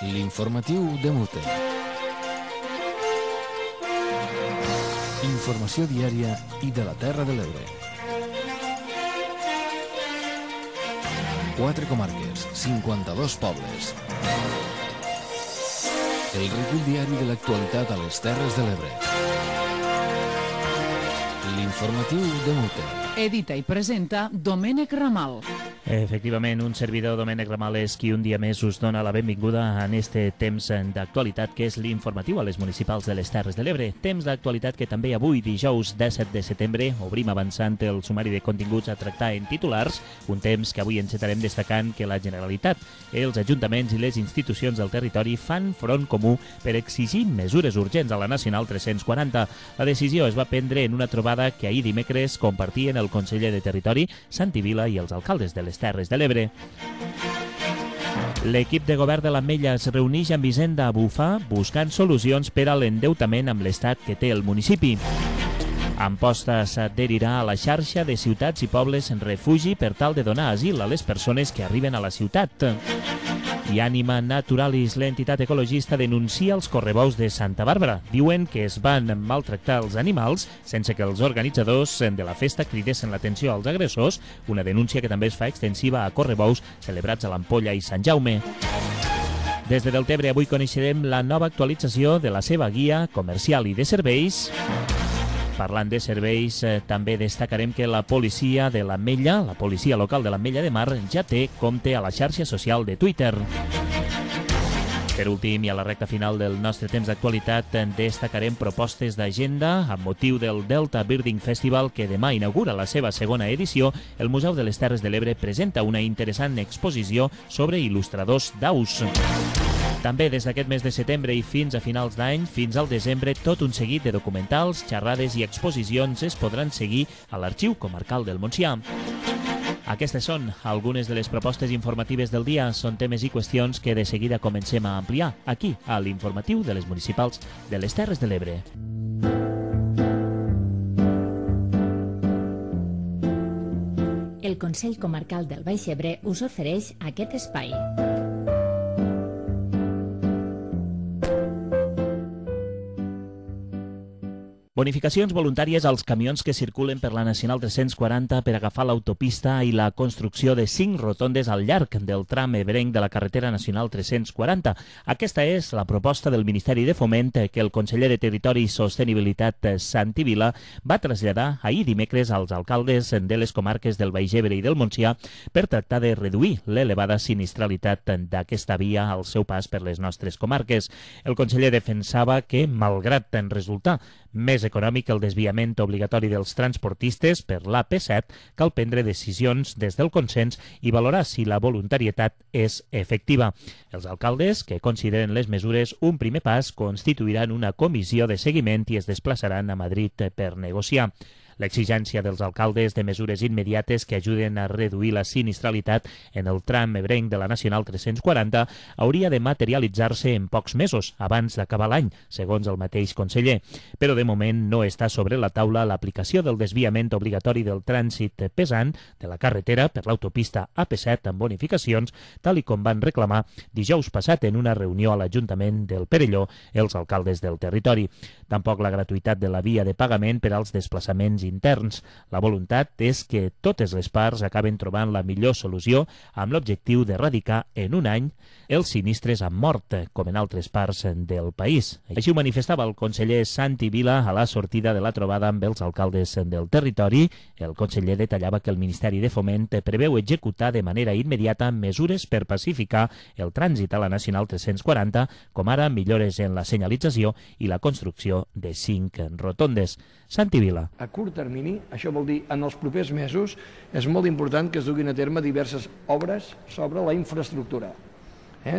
L'informatiu de Mute. Informació diària i de la Terra de l'Ebre. 4 comarques, 52 pobles. El recull diari de l'actualitat a les Terres de l'Ebre. L'informatiu de Mute. Edita i presenta Domènec Ramal. Efectivament, un servidor, Domènec Ramal, és qui un dia més us dona la benvinguda en este temps d'actualitat que és l'informatiu a les municipals de les Terres de l'Ebre. Temps d'actualitat que també avui, dijous 17 de setembre, obrim avançant el sumari de continguts a tractar en titulars, un temps que avui encetarem destacant que la Generalitat, els ajuntaments i les institucions del territori fan front comú per exigir mesures urgents a la Nacional 340. La decisió es va prendre en una trobada que ahir dimecres compartien el conseller de Territori, Santi Vila, i els alcaldes de les Terres de l'Ebre. L'equip de govern de l'Ametlla es reuneix amb Hisenda a Bufar buscant solucions per a l'endeutament amb l'estat que té el municipi. Amposta s'adherirà a la xarxa de ciutats i pobles en refugi per tal de donar asil a les persones que arriben a la ciutat. I Ànima Naturalis, l'entitat ecologista, denuncia els correbous de Santa Bàrbara. Diuen que es van maltractar els animals sense que els organitzadors de la festa cridessin l'atenció als agressors, una denúncia que també es fa extensiva a correbous celebrats a l'Ampolla i Sant Jaume. Des de Deltebre avui coneixerem la nova actualització de la seva guia comercial i de serveis. Parlant de serveis, també destacarem que la policia de l'Ametlla, la policia local de l'Ametlla de Mar, ja té compte a la xarxa social de Twitter. Per últim, i a la recta final del nostre temps d'actualitat, destacarem propostes d'agenda amb motiu del Delta Birding Festival que demà inaugura la seva segona edició. El Museu de les Terres de l'Ebre presenta una interessant exposició sobre il·lustradors d'aus. També des d'aquest mes de setembre i fins a finals d'any, fins al desembre, tot un seguit de documentals, xerrades i exposicions es podran seguir a l'Arxiu Comarcal del Montsià. Aquestes són algunes de les propostes informatives del dia. Són temes i qüestions que de seguida comencem a ampliar aquí, a l'informatiu de les municipals de les Terres de l'Ebre. El Consell Comarcal del Baix Ebre us ofereix aquest espai. Bonificacions voluntàries als camions que circulen per la Nacional 340 per agafar l'autopista i la construcció de 5 rotondes al llarg del tram ebrenc de la carretera Nacional 340. Aquesta és la proposta del Ministeri de Foment que el conseller de Territori i Sostenibilitat, Santi Vila, va traslladar ahir dimecres als alcaldes de les comarques del Baix Ebre i del Montsià per tractar de reduir l'elevada sinistralitat d'aquesta via al seu pas per les nostres comarques. El conseller defensava que, malgrat resultar més econòmic el desviament obligatori dels transportistes per l'AP7, cal prendre decisions des del consens i valorar si la voluntarietat és efectiva. Els alcaldes, que consideren les mesures un primer pas, constituiran una comissió de seguiment i es desplaçaran a Madrid per negociar. L'exigència dels alcaldes de mesures immediates que ajuden a reduir la sinistralitat en el tram ebrenc de la Nacional 340 hauria de materialitzar-se en pocs mesos, abans d'acabar l'any, segons el mateix conseller. Però de moment no està sobre la taula l'aplicació del desviament obligatori del trànsit pesant de la carretera per l'autopista AP7 amb bonificacions, tal i com van reclamar dijous passat en una reunió a l'Ajuntament del Perelló els alcaldes del territori. Tampoc la gratuïtat de la via de pagament per als desplaçaments interns. La voluntat és que totes les parts acaben trobant la millor solució amb l'objectiu d'erradicar en un any els sinistres amb mort, com en altres parts del país. Així ho manifestava el conseller Santi Vila a la sortida de la trobada amb els alcaldes del territori. El conseller detallava que el Ministeri de Foment preveu executar de manera immediata mesures per pacificar el trànsit a la Nacional 340, com ara millores en la senyalització i la construcció de 5 rotondes. Santi Vila. A curt termini, això vol dir en els propers mesos, és molt important que es duguin a terme diverses obres sobre la infraestructura,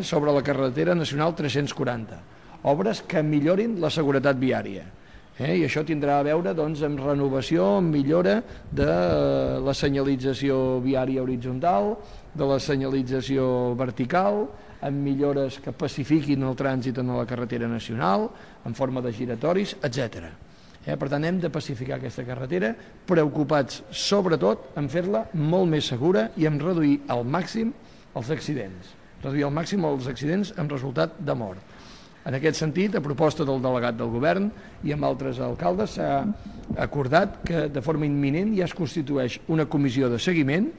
sobre la carretera Nacional 340, obres que millorin la seguretat viària. I això tindrà a veure amb renovació, amb millora de la senyalització viària horitzontal, de la senyalització vertical, amb millores que pacifiquin el trànsit en la carretera nacional, en forma de giratoris, etc. Per tant, hem de pacificar aquesta carretera, preocupats sobretot en fer-la molt més segura i en reduir al màxim els accidents. reduir al màxim els accidents amb resultat de mort. En aquest sentit, a proposta del delegat del govern i amb altres alcaldes, s'ha acordat que de forma imminent ja es constitueix una comissió de seguiment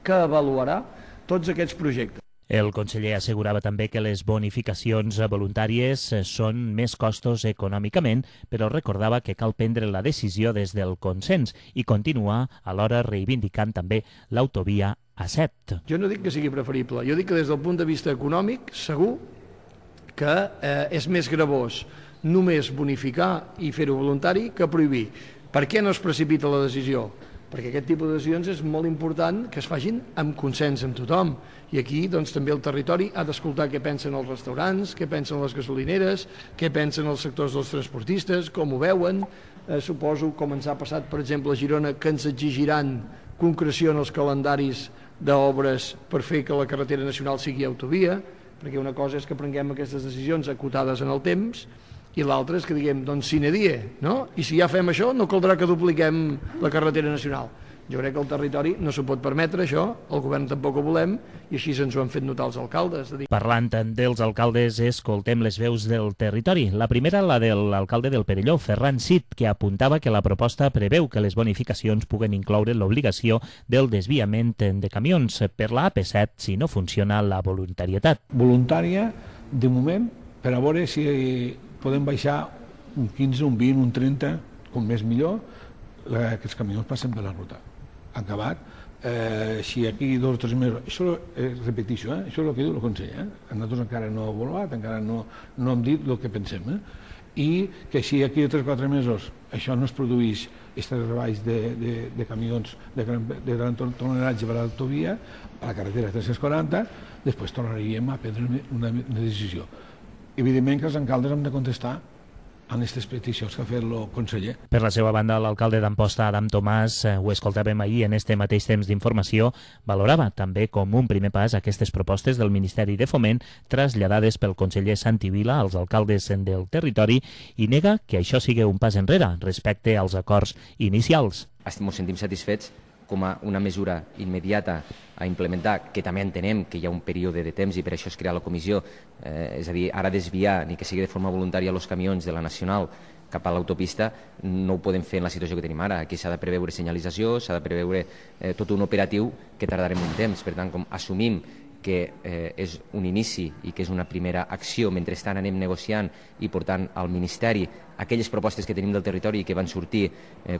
que avaluarà tots aquests projectes. El conseller assegurava també que les bonificacions voluntàries són més costos econòmicament, però recordava que cal prendre la decisió des del consens i continuar alhora reivindicant també l'autovia A7. Jo no dic que sigui preferible, jo dic que des del punt de vista econòmic segur que és més gravós només bonificar i fer-ho voluntari que prohibir. Per què no es precipita la decisió? Perquè aquest tipus de decisions és molt important que es facin amb consens amb tothom. I aquí doncs, també el territori ha d'escoltar què pensen els restaurants, què pensen les gasolineres, què pensen els sectors dels transportistes, com ho veuen. Suposo, com ens ha passat, per exemple, a Girona, que ens exigiran concreció en els calendaris d'obres per fer que la carretera nacional sigui autovia, perquè una cosa és que prenguem aquestes decisions acotades en el temps i l'altra és que diguem, doncs sine die, no? I si ja fem això, no caldrà que dupliquem la carretera nacional. Jo crec que el territori no s'ho pot permetre, això, el govern tampoc ho volem, i així ens ho han fet notar els alcaldes. Parlant dels alcaldes, escoltem les veus del territori. La primera, la de l'alcalde del Perelló, Ferran Cid, que apuntava que la proposta preveu que les bonificacions puguen incloure l'obligació del desviament de camions per la AP7 si no funciona la voluntarietat. Voluntària, de moment, per a veure si podem baixar un 15, un 20, un 30, com més millor, que els camions passen per la ruta. Acabat, si aquí 2 o 3 mesos, això repeteixo, això és el que diu el conseller, nosaltres encara no hem avaluat, encara no hem dit el que pensem, i que si aquí 3 o 4 mesos això no es produeix, aquests treballs de camions de gran tonatge per a l'autovia, a la carretera 340, després tornaríem a prendre una decisió. Evidentment que els alcaldes hem de contestar en aquestes peticions que ha fet el conseller. Per la seva banda, l'alcalde d'Amposta, Adam Tomàs, ho escoltàvem ahir en este mateix temps d'informació, valorava també com un primer pas aquestes propostes del Ministeri de Foment traslladades pel conseller Santi Vila als alcaldes del territori i nega que això sigui un pas enrere respecte als acords inicials. Ens sentim satisfets com a una mesura immediata a implementar, que també entenem que hi ha un període de temps i per això es crea la comissió, és a dir, ara desviar ni que sigui de forma voluntària els camions de la Nacional cap a l'autopista no ho podem fer en la situació que tenim ara. Aquí s'ha de preveure senyalització, s'ha de preveure tot un operatiu que tardarem un temps. Per tant, com assumim que és un inici i que és una primera acció, mentrestant anem negociant i portant al Ministeri aquelles propostes que tenim del territori i que van sortir,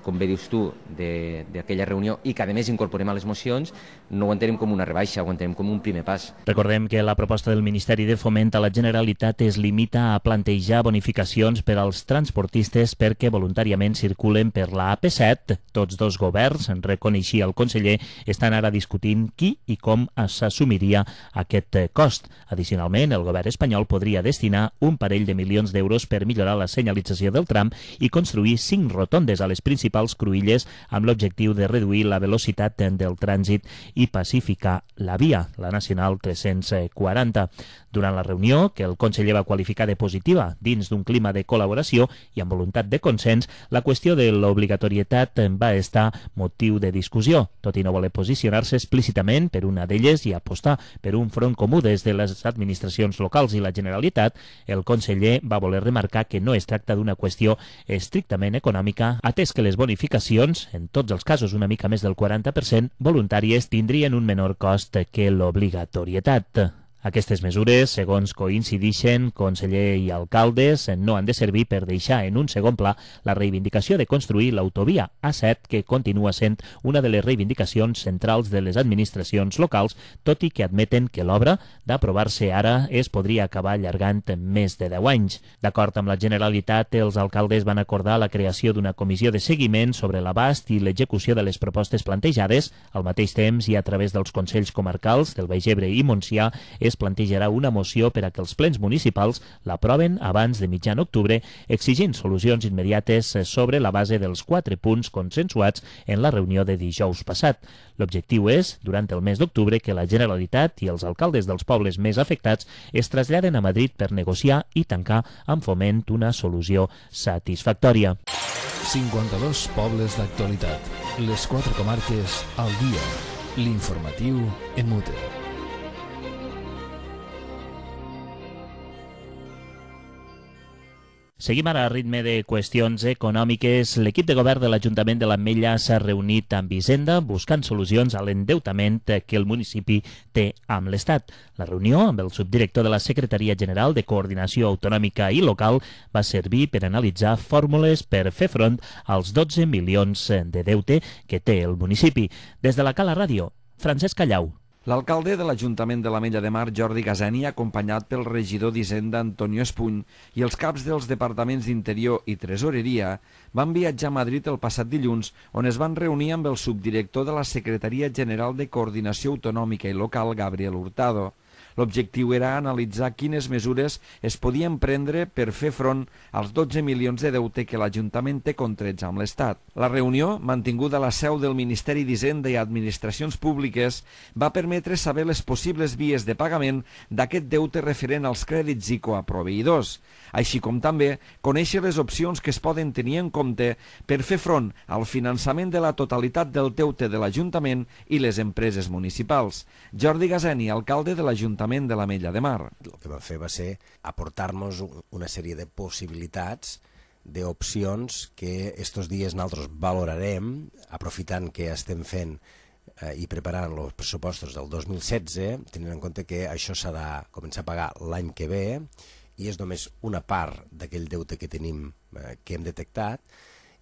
com bé dius tu, d'aquella reunió i que a més incorporem a les mocions, no ho entenem com una rebaixa, ho entenem com un primer pas. Recordem que la proposta del Ministeri de Foment a la Generalitat es limita a plantejar bonificacions per als transportistes perquè voluntàriament circulen per la AP7. Tots dos governs, reconeixia el conseller, estan ara discutint qui i com s'assumiria aquest cost. Addicionalment, el govern espanyol podria destinar un parell de milions d'euros per millorar la senyalització del tram i construir 5 rotondes a les principals cruïlles amb l'objectiu de reduir la velocitat del trànsit i pacificar la via, la Nacional 340. Durant la reunió, que el conseller va qualificar de positiva dins d'un clima de col·laboració i amb voluntat de consens, la qüestió de l'obligatorietat va estar motiu de discussió, tot i no voler posicionar-se explícitament per una d'elles i apostar per un front comú des de les administracions locals i la Generalitat. El conseller va voler remarcar que no es tracta d'una qüestió estrictament econòmica, atès que les bonificacions, en tots els casos una mica més del 40%, voluntàries, tindrien un menor cost que l'obligatorietat. Aquestes mesures, segons coincidixen conseller i alcaldes, no han de servir per deixar en un segon pla la reivindicació de construir l'autovia A7, que continua sent una de les reivindicacions centrals de les administracions locals, tot i que admeten que l'obra, d'aprovar-se ara, es podria acabar allargant més de 10 anys. D'acord amb la Generalitat, els alcaldes van acordar la creació d'una comissió de seguiment sobre l'abast i l'execució de les propostes plantejades. Al mateix temps, i a través dels consells comarcals del Baix Ebre i Montsià, es plantejarà una moció per a que els plens municipals l'aproven abans de mitjan octubre, exigint solucions immediates sobre la base dels 4 punts consensuats en la reunió de dijous passat. L'objectiu és, durant el mes d'octubre, que la Generalitat i els alcaldes dels pobles més afectats es traslladen a Madrid per negociar i tancar amb Foment una solució satisfactòria. 52 pobles d'actualitat. Les 4 comarques al dia. L'informatiu en Mute. Seguim ara a ritme de qüestions econòmiques. L'equip de govern de l'Ajuntament de l'Ametlla s'ha reunit amb Hisenda buscant solucions a l'endeutament que el municipi té amb l'Estat. La reunió amb el subdirector de la Secretaria General de Coordinació Autonòmica i Local va servir per analitzar fórmules per fer front als 12 milions de deute que té el municipi. Des de la Cala Ràdio, Francesc Callau. L'alcalde de l'Ajuntament de l'Ametlla de Mar, Jordi Gaseni, acompanyat pel regidor d'Hisenda, Antonio Espuny, i els caps dels departaments d'Interior i Tresoreria, van viatjar a Madrid el passat dilluns, on es van reunir amb el subdirector de la Secretaria General de Coordinació Autonòmica i Local, Gabriel Hurtado. L'objectiu era analitzar quines mesures es podien prendre per fer front als 12 milions de deute que l'Ajuntament té contrets amb l'Estat. La reunió, mantinguda a la seu del Ministeri d'Hisenda i Administracions Públiques, va permetre saber les possibles vies de pagament d'aquest deute referent als crèdits ICO a proveïdors, així com també conèixer les opcions que es poden tenir en compte per fer front al finançament de la totalitat del deute de l'Ajuntament i les empreses municipals. Jordi Gaseni, alcalde de l'Ajuntament de l'Ametlla de Mar. El que va fer va ser aportar-nos una sèrie de possibilitats, d'opcions que estos dies nosaltres valorarem, aprofitant que estem fent i preparant els pressupostos del 2016, tenint en compte que això s'ha de començar a pagar l'any que ve i és només una part d'aquell deute que tenim, que hem detectat,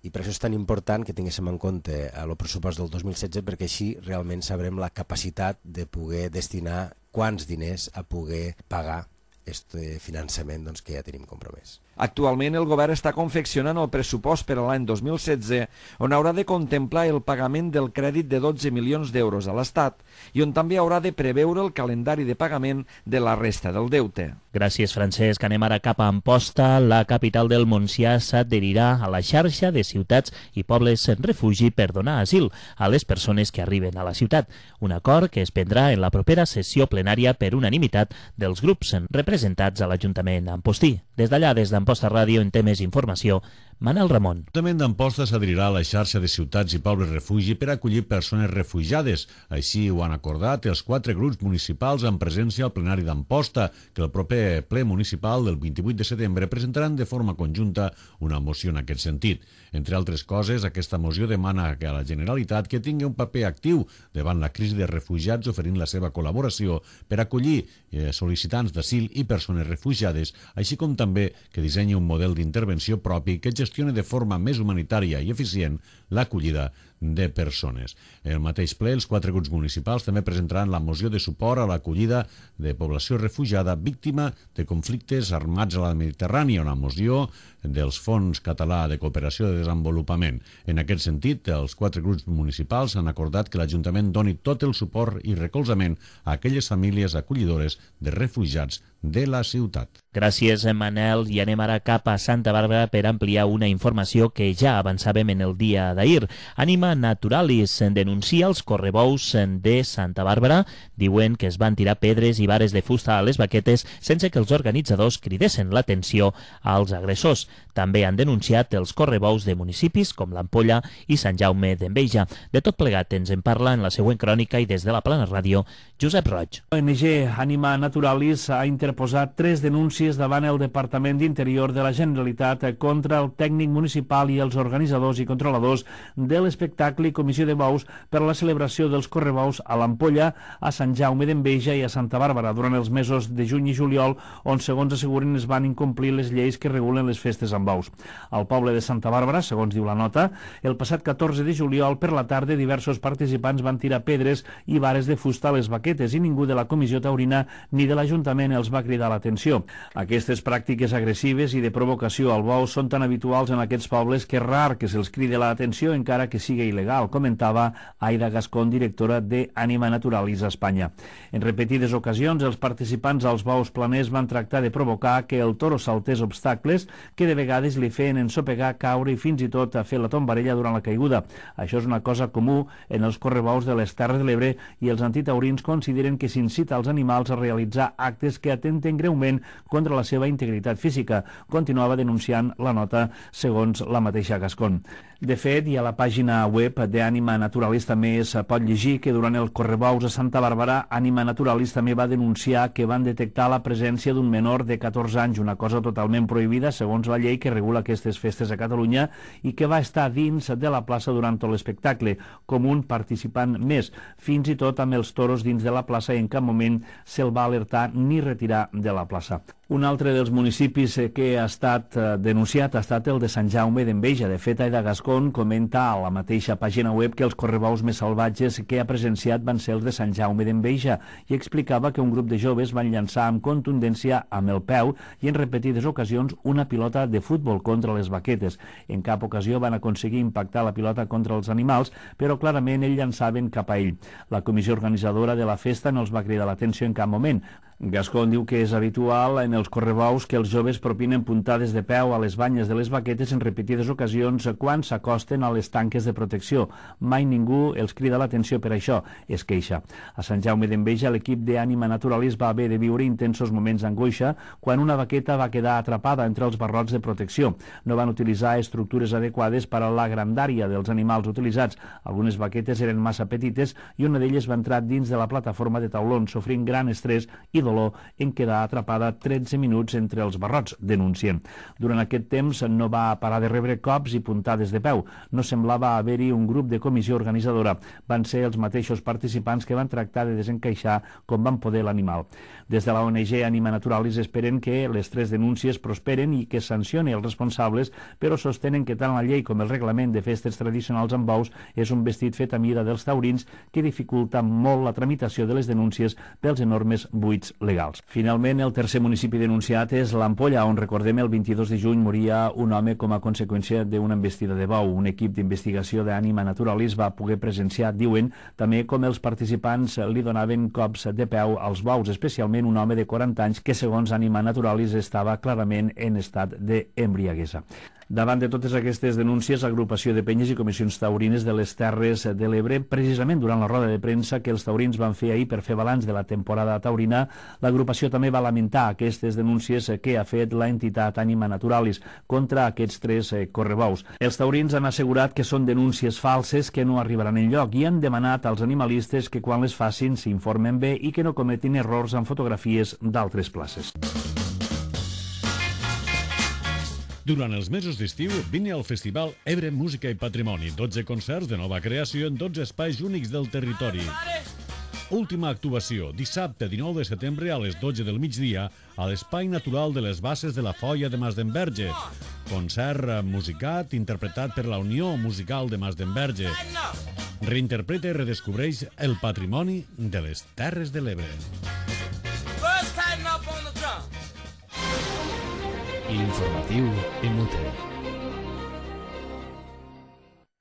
i per això és tan important que tinguéssim en compte el pressupost del 2016 perquè així realment sabrem la capacitat de poder destinar quants diners a poder pagar aquest finançament que ja tenim compromès. Actualment el govern està confeccionant el pressupost per a l'any 2016, on haurà de contemplar el pagament del crèdit de 12 milions d'euros a l'Estat i on també haurà de preveure el calendari de pagament de la resta del deute. Gràcies, Francesc. Anem ara cap a Amposta. La capital del Montsià s'adherirà a la xarxa de ciutats i pobles en refugi per donar asil a les persones que arriben a la ciutat. Un acord que es prendrà en la propera sessió plenària per unanimitat dels grups representats a l'Ajuntament ampostí. Des d'allà, des d'Amposta Ràdio, en té més informació Manel Ramon. L'Ajuntament d'Amposta s'adherirà a la xarxa de ciutats i pobles refugi per acollir persones refugiades. Així ho han acordat els 4 grups municipals en presència al plenari d'Amposta, que el proper ple municipal del 28 de setembre presentaran de forma conjunta una moció en aquest sentit. Entre altres coses, aquesta moció demana que a la Generalitat que tingui un paper actiu davant la crisi de refugiats oferint la seva col·laboració per acollir sol·licitants d'asil i persones refugiades, així com també que dissenyi un model d'intervenció propi que gestioni de forma més humanitària i eficient l'acollida de persones. En el mateix ple, els 4 grups municipals també presentaran la moció de suport a l'acollida de població refugiada víctima de conflictes armats a la Mediterrània, una moció dels Fons Català de Cooperació de Desenvolupament. En aquest sentit, els 4 grups municipals han acordat que l'Ajuntament doni tot el suport i recolzament a aquelles famílies acollidores de refugiats de la ciutat. Gràcies, Manel. I anem ara cap a Santa Bàrbara per ampliar una informació que ja avançàvem en el dia d'ahir. Anima Naturalis denuncia els correbous de Santa Bàrbara. Diuen que es van tirar pedres i vares de fusta a les baquetes sense que els organitzadors cridessin l'atenció als agressors. També han denunciat els correbous de municipis com l'Ampolla i Sant Jaume d'Enveja. De tot plegat ens en parla en la següent crònica i des de la Plana Ràdio, Josep Roig. ONG Anima Naturalis ha interposat 3 denúncies davant el Departament d'Interior de la Generalitat contra el tècnic municipal i els organitzadors i controladors de l'espectacle i comissió de bous per a la celebració dels correbous a l'Ampolla, a Sant Jaume d'Enveja i a Santa Bàrbara durant els mesos de juny i juliol, on, segons asseguren, es van incomplir les lleis que regulen les festes amb bous. Al poble de Santa Bàrbara, segons diu la nota, el passat 14 de juliol per la tarda diversos participants van tirar pedres i vares de fusta a les baquetes i ningú de la comissió taurina ni de l'Ajuntament els va cridar l'atenció. Aquestes pràctiques agressives i de provocació al bou són tan habituals en aquests pobles que és rar que se'ls cridi l'atenció encara que sigui il·legal, comentava Aida Gascón, directora de Anima Naturalis a Espanya. En repetides ocasions, els participants als bous planers van tractar de provocar que el toro saltés obstacles que de vegades li feien ensopegar, caure i fins i tot a fer la tombarella durant la caiguda. Això és una cosa comú en els correbous de les Terres de l'Ebre i els antitaurins consideren que s'incita als animals a realitzar actes que atenten greument contra la seva integritat física, continuava denunciant la nota segons la mateixa Gascón. De fet, i a la pàgina web d'Ànima Naturalis també es pot llegir que durant el Correbous a Santa Bàrbara, Ànima Naturalis també va denunciar que van detectar la presència d'un menor de 14 anys, una cosa totalment prohibida segons la llei que regula aquestes festes a Catalunya, i que va estar dins de la plaça durant tot l'espectacle, com un participant més, fins i tot amb els toros dins de la plaça, i en cap moment se'l va alertar ni retirar de la plaça. Un altre dels municipis que ha estat denunciat ha estat el de Sant Jaume d'Enveja. De fet, Aida Gascón comenta a la mateixa pàgina web que els correbous més salvatges que ha presenciat van ser els de Sant Jaume d'Enveja, i explicava que un grup de joves van llançar amb contundència amb el peu i en repetides ocasions una pilota de futbol contra les vaquetes. En cap ocasió van aconseguir impactar la pilota contra els animals, però clarament ells llançaven cap a ell. La comissió organitzadora de la festa no els va cridar l'atenció en cap moment. Gascón diu que és habitual en els correbous que els joves propinen puntades de peu a les banyes de les vaquetes en repetides ocasions quan s'acosten a les tanques de protecció. Mai ningú els crida l'atenció per això, es queixa. A Sant Jaume d'Enveja, l'equip d'Ànima Naturalis va haver de viure intensos moments d'angoixa quan una vaqueta va quedar atrapada entre els barrots de protecció. No van utilitzar estructures adequades per a la grandària dels animals utilitzats. Algunes vaquetes eren massa petites i una d'elles va entrar dins de la plataforma de taulons, sofrint gran estrès i dolor en quedar atrapada 13 minuts entre els barrots, denuncien. Durant aquest temps no va parar de rebre cops i puntades de peu. No semblava haver-hi un grup de comissió organitzadora. Van ser els mateixos participants que van tractar de desencaixar com van poder l'animal. Des de la ONG Ànima Naturalis esperen que les 3 denúncies prosperen i que sancioni els responsables, però sostenen que tant la llei com el reglament de festes tradicionals amb bous és un vestit fet a mida dels taurins que dificulta molt la tramitació de les denúncies pels enormes buits legals. Finalment, el tercer municipi denunciat és l'Ampolla, on, recordem, el 22 de juny moria un home com a conseqüència d'una embestida de bou. Un equip d'investigació d'Ànima Naturalis va poder presenciar, diuen, també com els participants li donaven cops de peu als bous, especialment un home de 40 anys que, segons Ànima Naturalis, estava clarament en estat d'embriaguesa. Davant de totes aquestes denúncies, l'agrupació de penyes i comissions taurines de les Terres de l'Ebre, precisament durant la roda de premsa que els taurins van fer ahir per fer balanç de la temporada taurina, l'agrupació també va lamentar aquestes denúncies que ha fet l'entitat Ànima Naturalis contra aquests 3 correbous. Els taurins han assegurat que són denúncies falses que no arribaran enlloc i han demanat als animalistes que quan les facin s'informen bé i que no cometin errors amb fotografies d'altres places. Durant els mesos d'estiu, vine al Festival Ebre Música i Patrimoni. 12 concerts de nova creació en 12 espais únics del territori. Última actuació, dissabte 19 de setembre a les 12 del migdia a l'Espai Natural de les Basses de la Foia de Masdenverge. Concert musicat interpretat per la Unió Musical de Masdenverge. Reinterpreta i redescobreix el patrimoni de les Terres de l'Ebre. L'informatiu Inútil.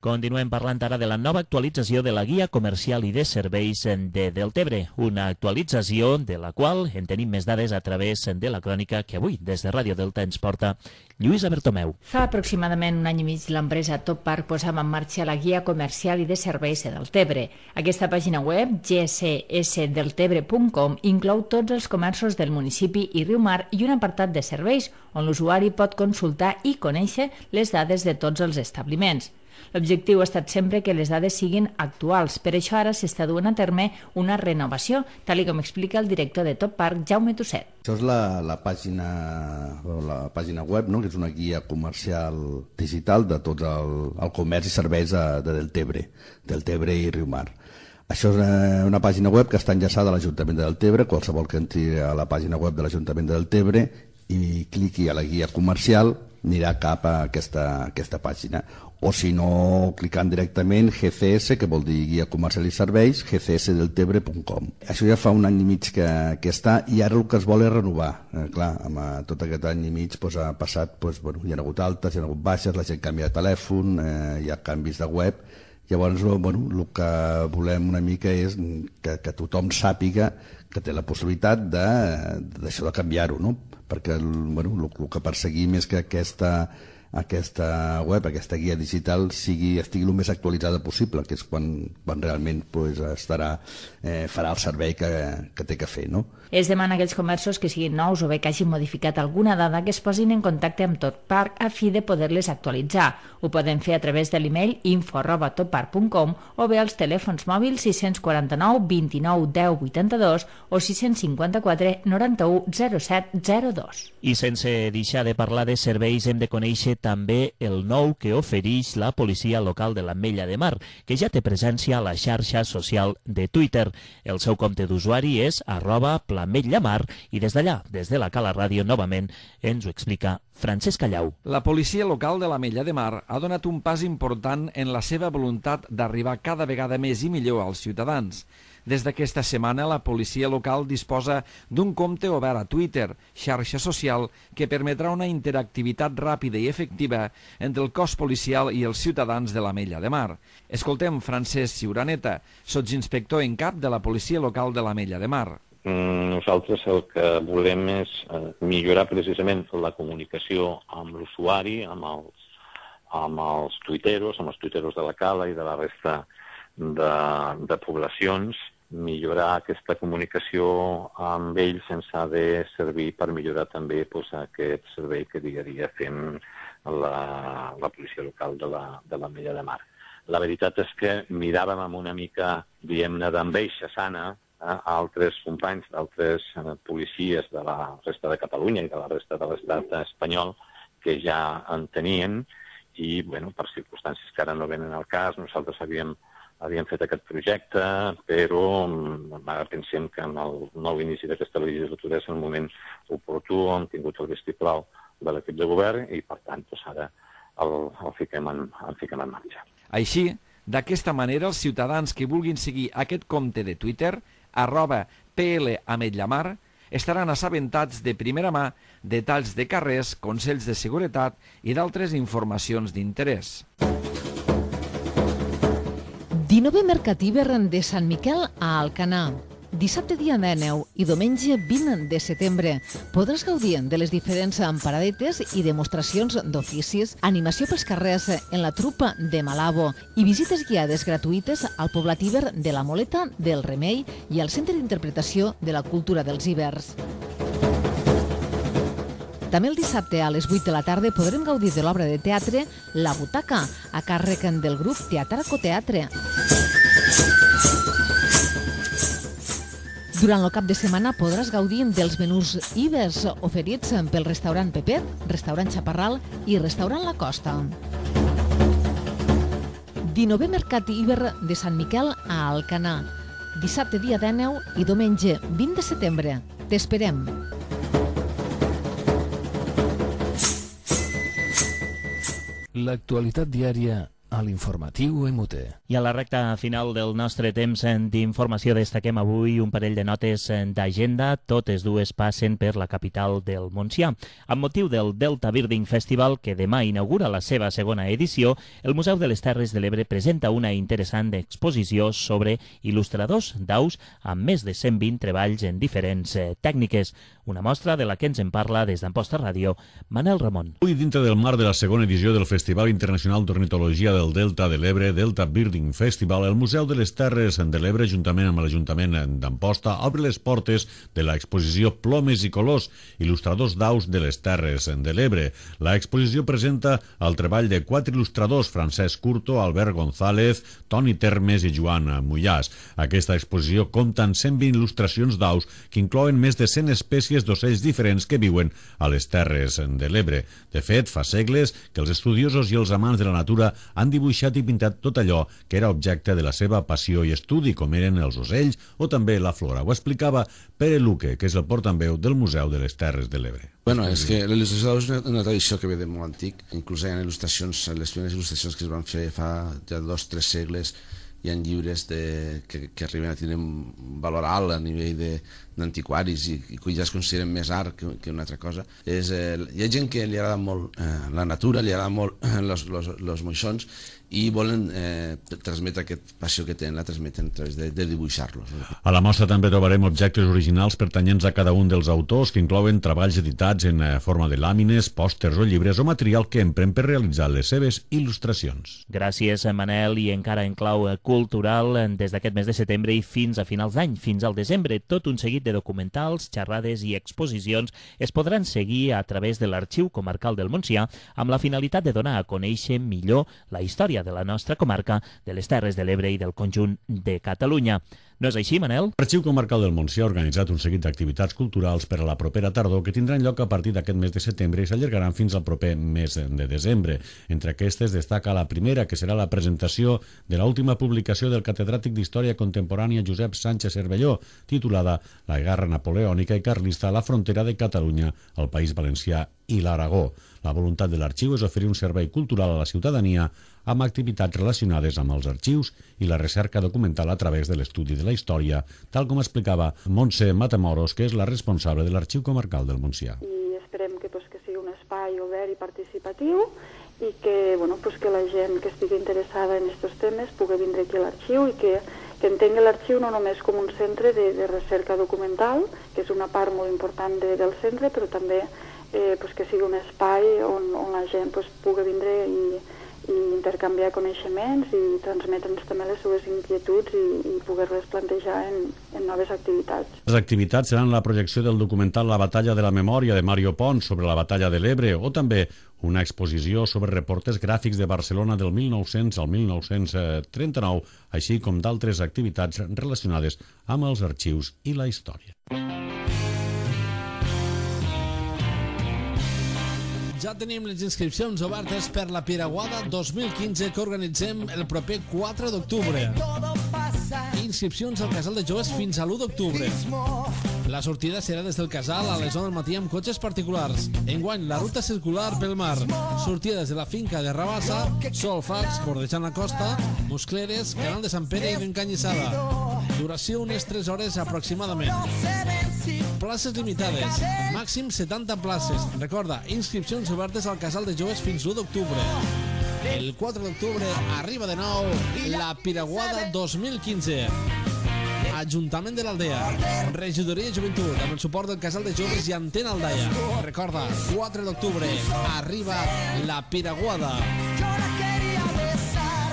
Continuem parlant ara de la nova actualització de la Guia Comercial i de Serveis de Deltebre, una actualització de la qual en tenim més dades a través de la crònica que avui, des de Ràdio Delta, ens porta Lluïsa Bertomeu. Fa aproximadament un any i mig l'empresa Top Park posava en marxa la Guia Comercial i de Serveis de Deltebre. Aquesta pàgina web, gcsdeltebre.com, inclou tots els comerços del municipi i Riumar i un apartat de serveis on l'usuari pot consultar i conèixer les dades de tots els establiments. L'objectiu ha estat sempre que les dades siguin actuals. Per això ara s'està duent a terme una renovació, tal com explica el director de Top Park, Jaume Tusset. Això és la pàgina web, no? Que és una guia comercial digital de tot el comerç i serveis de Deltebre i Riumar. Això és una pàgina web que està enllaçada a l'Ajuntament de Deltebre. Qualsevol que entri a la pàgina web de l'Ajuntament de Deltebre i cliqui a la guia comercial anirà cap a aquesta pàgina. O si no, clicant directament GCS, que vol dir Guia Comercial i Serveis, gcsdeltebre.com. Això ja fa un any i mig que està, i ara el que es vol és renovar. Clar, amb tot aquest any i mig ha passat, hi ha hagut altes, hi ha hagut baixes, la gent canvia de telèfon, hi ha canvis de web. Llavors, el que volem una mica és que tothom sàpiga que té la possibilitat d'això de canviar-ho, no? Perquè el que perseguim és que aquesta web, aquesta guia digital estigui el més actualitzada possible, que és quan realment farà el servei que té que fer, no? Es demana a aquells comerços que siguin nous o bé que hagin modificat alguna dada que es posin en contacte amb Toppark a fi de poder-les actualitzar. Ho poden fer a través de l'email info@toppark.com o bé als telèfons mòbils 649 29 10 82 o 654 91 07 02. I sense deixar de parlar de serveis hem de conèixer també el nou que ofereix la policia local de l'Ametlla de Mar, que ja té presència a la xarxa social de Twitter. El seu compte d'usuari és @plametllamar i des d'allà, des de la Cala Ràdio, novament ens ho explica Francesc Callau. La policia local de l'Ametlla de Mar ha donat un pas important en la seva voluntat d'arribar cada vegada més i millor als ciutadans. Des d'aquesta setmana, la policia local disposa d'un compte obert a Twitter, xarxa social, que permetrà una interactivitat ràpida i efectiva entre el cos policial i els ciutadans de l'Ametlla de Mar. Escoltem Francesc Ciuraneta, sotsinspector en cap de la policia local de l'Ametlla de Mar. Nosaltres el que volem és millorar precisament la comunicació amb l'usuari, amb els tuiteros de la Cala i de la resta de poblacions, millorar aquesta comunicació amb ells ens ha de servir per millorar també aquest servei que dia a dia fem la policia local de l'Ametlla de Mar. La veritat és que miràvem amb una mica, diguem-ne, d'enveja sana altres companys d'altres policies de la resta de Catalunya i de la resta de l'estat espanyol que ja en tenien i, bueno, per circumstàncies que ara no venen al cas, nosaltres havíem fet aquest projecte, però ara pensem que en el nou inici d'aquesta legislatura és el moment oportú, hem tingut el vistiplau de l'equip de govern i, per tant, ara el fiquem en marxa. Així, d'aquesta manera, els ciutadans que vulguin seguir aquest compte de Twitter, @plametllamar, estaran assabentats de primera mà detalls de carrers, consells de seguretat i d'altres informacions d'interès. 19è Mercat Hivern de Sant Miquel a Alcanar. Dissabte dia 19 i diumenge 20 de setembre podràs gaudir de les diferents paradetes i demostracions d'oficis, animació pels carrers en la trupa de Malabo i visites guiades gratuïtes al poblat hivern de la Moleta, del Remei i al Centre d'Interpretació de la Cultura dels Hivers. També el dissabte a les 8 de la tarda podrem gaudir de l'obra de teatre La Butaca, a càrrec del grup Teatraco Teatre. Durant el cap de setmana podràs gaudir dels menús ibers oferits pel restaurant Pepet, restaurant Chaparral i restaurant La Costa. 19è Mercat Hiver de Sant Miquel a Alcanar. Dissabte dia 19 i diumenge 20 de setembre. T'esperem! L'actualitat diària a l'informatiu MUT. I a la recta final del nostre temps d'informació destaquem avui un parell de notes d'agenda. Totes dues passen per la capital del Montsià. Amb motiu del Delta Birding Festival, que demà inaugura la seva segona edició, el Museu de les Terres de l'Ebre presenta una interessant exposició sobre il·lustradors d'aus amb més de 120 treballs en diferents tècniques. Una mostra de la que ens en parla des d'Amposta Ràdio, Manel Ramon. Avui, dintre del marc de la segona edició del Festival Internacional d'Ornitologia del Delta de l'Ebre, Delta Birding Festival, el Museu de les Terres de l'Ebre, juntament amb l'Ajuntament d'Amposta, obre les portes de l'exposició Plomes i Colors, il·lustradors d'aus de les Terres de l'Ebre. L'exposició presenta el treball de 4 il·lustradors, Francesc Curto, Albert González, Toni Termes i Joan Mullàs. Aquesta exposició compta amb 120 il·lustracions d'aus que inclouen més de 100 espècies d'ocells diferents que viuen a les Terres de l'Ebre. De fet, fa segles que els estudiosos i els amants de la natura han dibuixat i pintat tot allò que era objecte de la seva passió i estudi, com eren els ocells o també la flora. Ho explicava Pere Luque, que és el portaveu del Museu de les Terres de l'Ebre. Bueno, és que la il·lustració és una tradició que ve de molt antic. Inclús hi ha il·lustracions, les primeres il·lustracions que es van fer fa ja 2-3 segles, hi ha llibres que arriben a tenir un valor alt a nivell d'antiquaris i que ja es consideren més art que una altra cosa. Hi ha gent que li agrada molt la natura, li agrada molt els moixons i volen transmetre aquesta passió que tenen, la transmeten a través de dibuixar-los. A la mostra també trobarem objectes originals pertanyents a cada un dels autors, que inclouen treballs editats en forma de làmines, pòsters o llibres o material que empren per realitzar les seves il·lustracions. Gràcies, Manel, i encara en clau cultural, des d'aquest mes de setembre i fins a finals d'any, fins al desembre, tot un seguit de documentals, xerrades i exposicions es podran seguir a través de l'Arxiu Comarcal del Montsià amb la finalitat de donar a conèixer millor la història de la nostra comarca, de les Terres de l'Ebre i del conjunt de Catalunya. No és així, Manel? L'Arxiu Comarcal del Montsià ha organitzat un seguit d'activitats culturals per a la propera tardor que tindran lloc a partir d'aquest mes de setembre i s'allargaran fins al proper mes de desembre. Entre aquestes destaca la primera, que serà la presentació de l'última publicació del catedràtic d'Història Contemporània Josep Sánchez Cervelló, titulada La guerra napoleònica i carlista a la frontera de Catalunya, el País Valencià i l'Aragó. La voluntat de l'arxiu és oferir un servei cultural a la ciutadania amb activitats relacionades amb els arxius i la recerca documental a través de l'estudi de la història, tal com explicava Montse Matamoros, que és la responsable de l'Arxiu Comarcal del Montsià. I esperem que sigui un espai obert i participatiu i que la gent que estigui interessada en aquests temes pugui vindre aquí a l'arxiu i que entengui l'arxiu no només com un centre de recerca documental, que és una part molt important del centre, però també que sigui un espai on la gent pugui vindre i intercanviar coneixements i transmetre'ns també les seves inquietuds i poder-les plantejar en noves activitats. Les activitats seran la projecció del documental La batalla de la memòria de Mario Pons sobre la batalla de l'Ebre o també una exposició sobre reporters gràfics de Barcelona del 1900 al 1939, així com d'altres activitats relacionades amb els arxius i la història. Ja tenim les inscripcions obertes per la Piraguada 2015 que organitzem el proper 4 d'octubre. Inscripcions al Casal de Joves fins a l'1 d'octubre. La sortida serà des del casal a les 9 del matí amb cotxes particulars. Enguany, la ruta circular pel mar. Sortida des de la finca de Rabassa, Solfax, bordejant la costa, Muscleres, Canal de Sant Pere i d'Encanyissada. Duració unes 3 hores aproximadament. Places limitades, màxim 70 places. Recorda, inscripcions obertes al Casal de Joves fins l'1 d'octubre. El 4 d'octubre arriba de nou la Piraguada 2015. Ajuntament de l'Aldea, Regidoria de Joventut, amb el suport del Casal de Joves i Antena Aldaia. Recorda, 4 d'octubre arriba la Piraguada. Yo la quería besar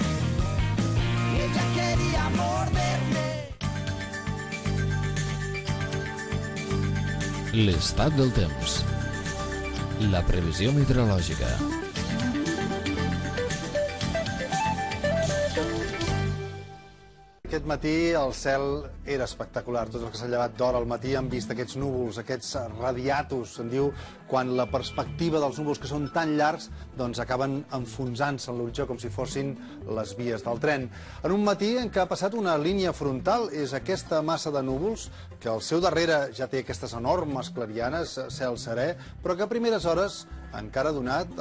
y ella quería morderme. L'estat del temps. La previsió meteorològica. Aquest matí el cel era espectacular. Tots els que s'han llevat d'hora al matí han vist aquests núvols, aquests radiatus, se'n diu, quan la perspectiva dels núvols, que són tan llargs, doncs acaben enfonsant-se en l'horitzó com si fossin les vies del tren. En un matí en què ha passat una línia frontal, és aquesta massa de núvols, que al seu darrere ja té aquestes enormes clarianes, cel serè, però que a primeres hores encara ha donat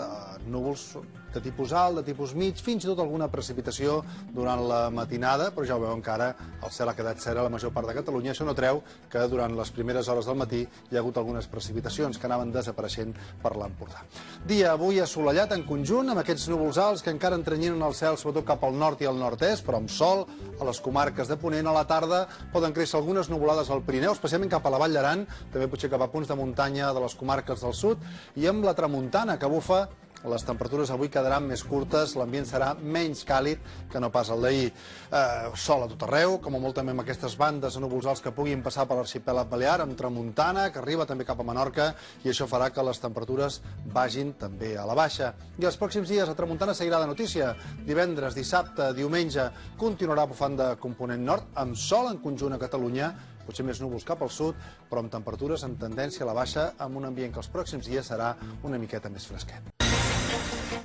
núvols de tipus alt, de tipus mig, fins i tot alguna precipitació durant la matinada, però ja ho veuen que ara el cel ha quedat serè a la major part de Catalunya. Això no treu que durant les primeres hores del matí hi ha hagut algunes precipitacions que anaven desapareixent per l'Empordà. Dia avui assolellat en conjunt, amb aquests núvols alts que encara entrenyinen el cel, sobretot cap al nord i al nord-est, però amb sol a les comarques de Ponent. A la tarda poden créixer algunes nuvolades al Pirineu, especialment cap a la Vall d'Aran, també potser cap a punts de muntanya de les comarques del sud, i amb la tramuntana que bufa. Les temperatures avui quedaran més curtes, l'ambient serà menys càlid que no pas el d'ahir. Sol a tot arreu, com a molt també amb aquestes bandes de núvols alts que puguin passar per l'arxipèlag balear, amb tramuntana, que arriba també cap a Menorca, i això farà que les temperatures vagin també a la baixa. I els pròxims dies la tramuntana seguirà de notícia. Divendres, dissabte, diumenge, continuarà bufant de component nord, amb sol en conjunt a Catalunya, potser més núvols cap al sud, però amb temperatures en tendència a la baixa, amb un ambient que els pròxims dies serà una miqueta més fresquet.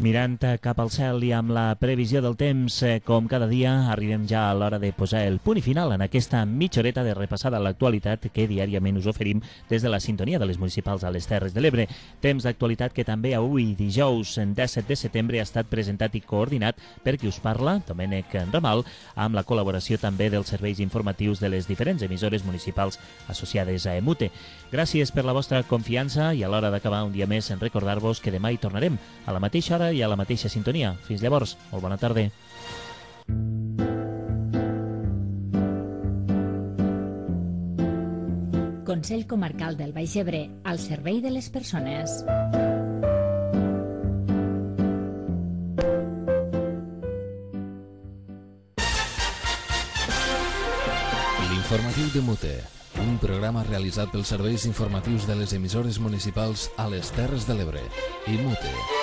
Mirant cap al cel i amb la previsió del temps, com cada dia, arribem ja a l'hora de posar el punt i final en aquesta mitja horeta de repassada a l'actualitat que diàriament us oferim des de la sintonia de les municipals a les Terres de l'Ebre. Temps d'actualitat que també avui, dijous 17 de setembre, ha estat presentat i coordinat per qui us parla, Domènec Ramal, amb la col·laboració també dels serveis informatius de les diferents emissores municipals associades a EMUTE. Gràcies per la vostra confiança i a l'hora d'acabar un dia més en recordar-vos que demà hi tornarem a la mateixa hora i a la mateixa sintonia. Fins llavors, molt bona tarda. Consell Comarcal del Baix Ebre, al servei de les persones. L'informatiu de MUTE. Un programa realitzat pels serveis informatius de les emissores municipals a les Terres de l'Ebre i Mute.